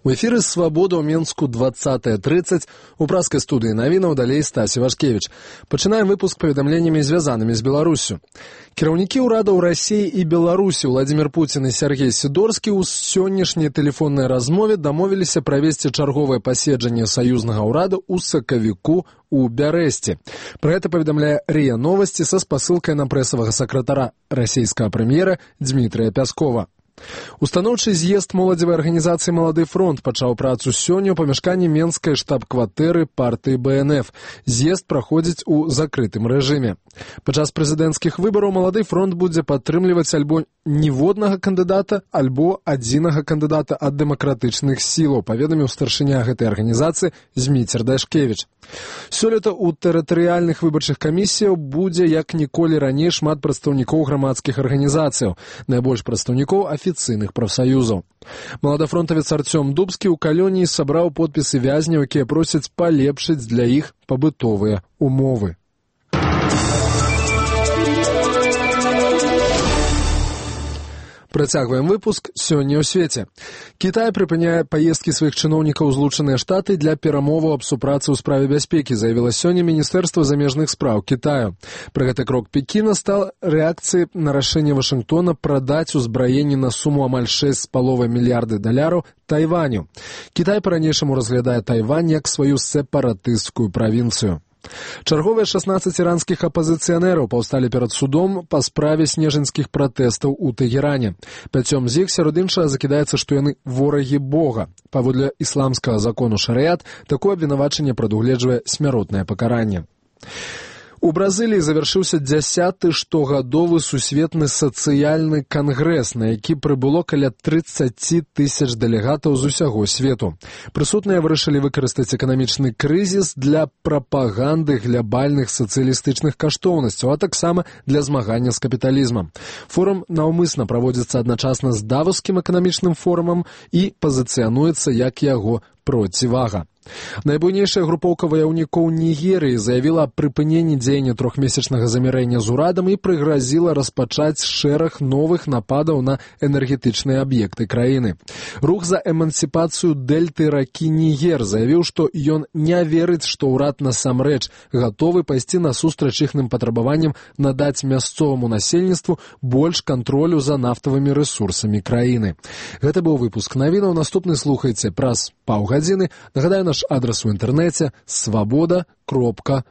У эфіры «Свабода» ў Менску 20:30. У праскай студыі навінаў далей Стасі Вашкевіч. Пачынаем выпуск паведамленнямі, звязанымі з Беларуссю. Кіраўнікі ўрадаў Расіі і Беларусі Владзімір Пуцін і Сергей Сідорскі ў сённяшняй тэлефоннай размове дамовіліся правесці чарговае паседжанне саюзнага ўрада ў сакавіку у Бярэсце. Пра гэта паведамляе РИА Новости са спасылкай на прэсавага сакратара расійскага прэм'ера Дмітрыя Пяскова. Устаноўчы з'езд моладзевай арганізацыі «Малады фронт» пачаў працу сёння ў памяшканні менскай штаб-кватэры партыі БНФ. З'езд праходзіць у закрытым рэжыме. Падчас прэзідэнцкіх выбараў «Малады фронт» будзе падтрымліваць альбо ніводнага кандыдата, альбо адзінага кандыдата ад дэмакратычных сілаў, паведаміў старшыня гэтай арганізацыі Зміцер Дашкевіч. Сёлета ў тэрытарыяльных выбарчых камісіяў будзе як ніколі раней шмат прадстаўнікоў грамадскіх арганізацыяў, найбольш прадстаўнікоў афіцыйных прафсаюзаў. Маладафронтавец Артём Дубскі ў калоніі сабраў подпісы вязняў, якія просяць палепшыць для іх пабытовыя умовы. Працягваем выпуск сёння ў свеце. Кітай прыпыняе паездкі сваіх чыноўнікаў у Злучаныя Штаты для перамоваў аб супрацы ў справе бяспекі, заявіла сёння Міністэрства замежных спраў Кітаю. Пры гэты крок Пекіна стал рэакцыяй на рашэнне Вашынгтона прадаць узбраенне на суму амаль $6,5 мільярда Тайваню. Кітай па-ранейшаму разглядае Тайвань як сваю сепаратысцкую правінцыю. Чарговыя 16 іранскіх апазіцыянераў паўсталі перад судом па справе снежаньскіх пратэстаў у Тэгеране. 5 з іх сярод іншага закідаецца, што яны ворагі Бога. Паводле ісламскага закону шарыят, такое абвінавачанне прадугледжвае смяротнае пакаранне. У Бразыліі завяршыўся 10-ы штогадовы сусветны сацыяльны кангрэс, на які прыбыло каля 30 тысяч дэлегатаў з усяго свету. Прысутныя вырашылі выкарыстаць эканамічны крызіс для прапаганды глябальных сацыялістычных каштоўнасцяў, а таксама для змагання з капіталізмам. Форум наўмысна праводзіцца адначасна з Давоскім эканамічным форумам і пазіцыянуецца як яго процівага. Найбуйнейшая групоўка ваяўнікоў Нігерыі заявіла аб прыпыненні дзеяння трохмесячнага замірэння з урадам і прыгразіла распачаць шэраг новых нападаў на энергетычныя аб'екты краіны. Рух за эмансіпацыю дэльты ракі Нігер заявіў, што ён не верыць, што ўрад насамрэч гатовы пайсці насустрач іхным патрабаванням надаць мясцоваму насельніцтву больш кантролю за нафтавымі рэсурсамі краіны. Гэта быў выпуск навінаў. Наступны слухайце праз паўгадзіны. Нагадаю, наш адрес у інтэрнэце свабода.орг.